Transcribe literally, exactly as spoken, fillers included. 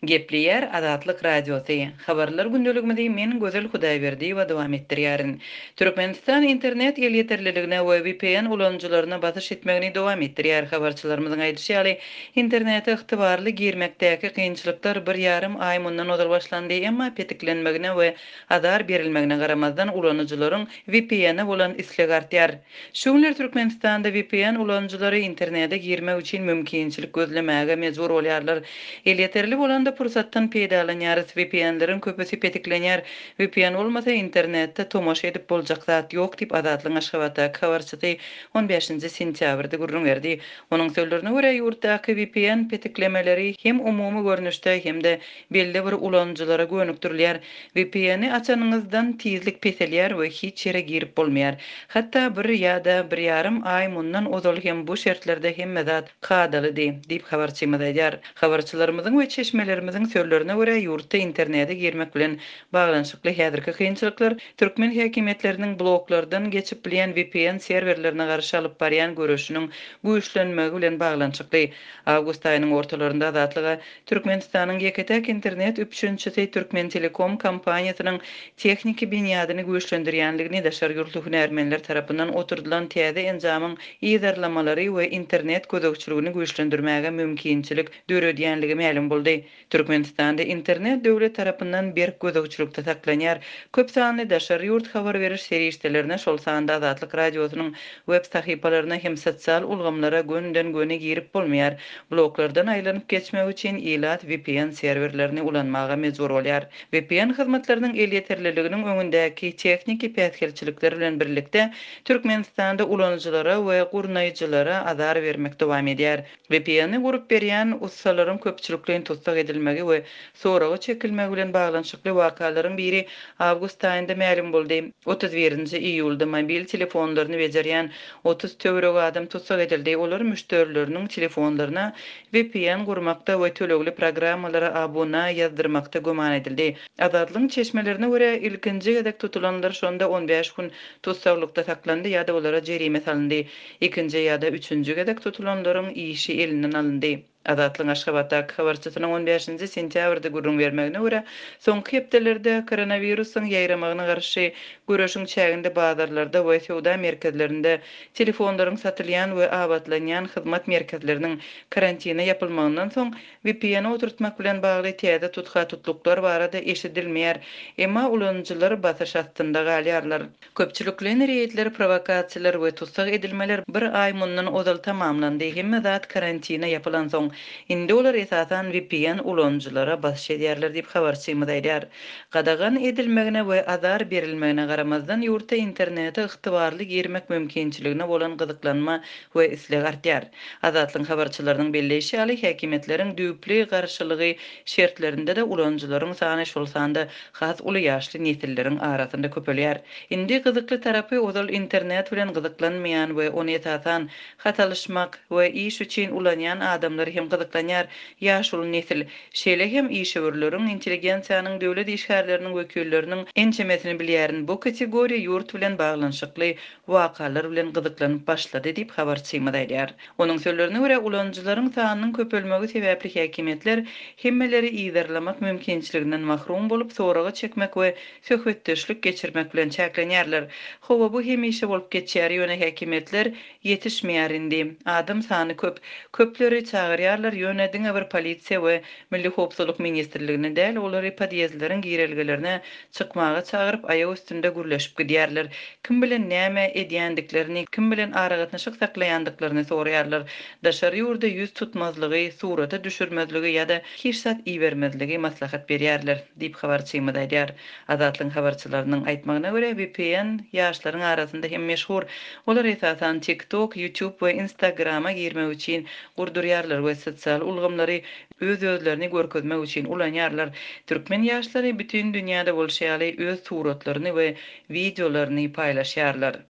Gepleýär Azatlyk Radiosy. Habarlar gündeligimizi men Gözel Hudaýberdiýewa dowam etdirýärin. Türkmenistan internet elýeterliligine we V P N ulanyjylaryna basyş etmegini dowam etdirýär. Habarçylarymyzyň aýdyşy ýaly, internete ygtybarly girmekdäki kynçylyklar bir ýarym aý mundan ozal başlandy, emma petiklenmegine we azar berilmegine garamazdan ulanyjylaryň V P N-e bolan islegi artýar. Şu günler Türkmenistanda V P N ulanyjylary internete girmek üçin mümkinçilik gözlemäge mejbur bolýarlar. Elýeterli bolanda pursatdan peýdalanýarys. V P N-leriň köpüsi petiklenýär. V P N bolmasa internetde tomaşa edip boljak zat ýok diýip Azatlygyň Aşgabatdaky habarçysy on bäşinji sentýabrda gürrüň berdi. Onuň sözlerine görä, ýurtdaky V P N petiklemeleri hem umumy görnüşde hem-de belli bir ulanyjylara gönükdirilýär. V P N-i açanyňyzdan tizlik peselýär we hiç ýere girip bolmaýar. Hatda bir ýa-da bir ýarym aý mundan ozal hem bu şertlerde hemme zat kadalydy diýip habarçymyz aýdýar. Habarçylarymyzyň we çeşmelerimiziň sözlerine görä, ýurtda internete girmek bilen baglanyşykly häzirki kynçylyklar türkmen häkimiýetleriniň bloklardan geçip bilýän V P N serwerlerine garşy alyp barýan göreşiniň güýçlenmegi bilen baglanyşykly. Awgust aýynyň ortalarynda Azatlyga Türkmenistanyň ýeke-täk internet üpjünçisi Türkmen Telekom kompaniýasynyň tehniki binýadyny güýçlendirýänligini, daşary ýurtly hünärmenler tarapyndan oturdylan täze enjamyň yzarlamalary we internet gözegçiligini güýçlendirmäge mümkinçilik döredýänligi mälim boldy. Türkmenistanda internet döwlet tarapyndan berk gözegçilikde saklanýar. Köp sanly daşary ýurt habar beriş serişdelerine, şol sanda Azatlyk Radiosynyň web sahypalaryna hem sosial ulgamlara gönden-göni girip bolmaýar. Bloklardan aýlanyp geçmek üçin ilat V P N serwerlerini ulanmaga mejbur bolýar. V P N hyzmatlarynyň elýeterliliginiň öňündäki tehniki päsgelçilikler bilen birlikde Türkmenistanda ulanyjylara we gurnaýjylara azar bermek dowam edýär. V P N-i gurup berýän ussalaryň köpçülikleýin tussag edilmegi we soraga çekilmegi bilen baglanyşykly wakalaryň biri awgust aýynda mälim boldy. otuz birinji iýulda mobil telefonlaryny bejerýän otuz töweregi adam tussag edildi. Olar müşderileriniň telefonlaryna V P N gurmakda we tölegli programmalara abuna ýazdyrmakda güman edildi. Azatlygyň çeşmelerine görä, ilkinji gezek tutulanlar şonda on bäş gün tussaglykda saklandy ýa-da olara jerime salyndy. Ikinji ýa-da üçünji gezek tutulanlaryň işi elinden alyndy. Azatlygyň Aşgabatdaky habarçysynyň on bäşinji sentýabrda gürrüň bermegine görä, soňky hepdelerde koronawirusyň ýaýramagyna garşy göreşiň çäginde bazarlarda we söwda merkezlerinde telefonlaryň satylýan we abatlanýan hyzmat merkezleriniň karantine ýapylmagyndan soň V P N oturtmak bilen bagly täze tutha-tutluklar barada eşidilmeýär. Emma ulanyjylar basyş astynda galýarlar. Köpçülikleýin reýdler, prowokasiýalar we tussag edilmeler bir aý mundan ozal tamamlandy. Hemme zat karantine ýapylan soň. Indi olar esasan V P N ulanyjylara basyş edýärler diýip habarçymyz aýdýar. Gadagan edilmegine we azar berilmegine garamazdan ýurtda internete ygtybarly girmek mümkinçiligine bolan gyzyklanma we isleg artýar. Azatlygyň habarçylarynyň belleýşi ýaly, häkimiýetleriň düýpli garşylygy şertlerinde-de ulanyjylaryň sany, şol sanda has uly ýaşly nesilleriň arasynda köpelýär. Indi gyzykly tarapy, ozal internet bilen gyzyklanmaýan we ony esasan hat alyşmak we iş üçin ulanýan adamlar hem gyzyklanýar. Ýaşuly nesil, şeýle hem işewürleriň, intelligensiýanyň, döwlet işgärleriniň wekilleriniň ençemesini bilýärin. Bu kategoriýa ýurt bilen baglanyşykly wakalar bilen gyzyklanyp başlady diýip habarçymyz aýdýar. Onuň sözlerine görä, ulanyjylaryň sanynyň köpelmegi sebäpli häkimiýetler hemmeleri yzarlamak mümkinçiliginden mahrum bolup, soraga çekmek we söhbetdeşlik geçirmek bilen çäklenýärler. Hawa, bu hemişe bolup geçýär, ýöne häkimiýetler ýetişmeýär indi. Adam sany köp. Köpleri çagyrýarlar, ýöne diňe bir polisiýa we Milli howpsuzlyk ministrligine däl, olary podýezdleriň girelgelerine çykmaga çagyryp, aýak üstünde gürleşip gidýärler. Kim bilen näme edýändiklerini, kim bilen aragatnaşyk saklaýandyklaryny soraýarlar. Daşary ýurda ýüz tutmazlygy, surata düşürmezligi ýa-da hiç zat ibermezligi maslahat berýärler diýip habarçymyz aýdýar. Azatlygyň habarçylarynyň aýtmagyna görä, V P N ýaşlaryň arasynda hem meşhur. Olar esasan TikTok, YouTube we Instagrama girmek üçin gurdurýarlar we sosial ulgamlary öz-özlerini görkezmek üçin ulanýarlar. Türkmen ýaşlary bütün dünýäde bolşy ýaly öz suratlaryny we wideolaryny paýlaşýarlar.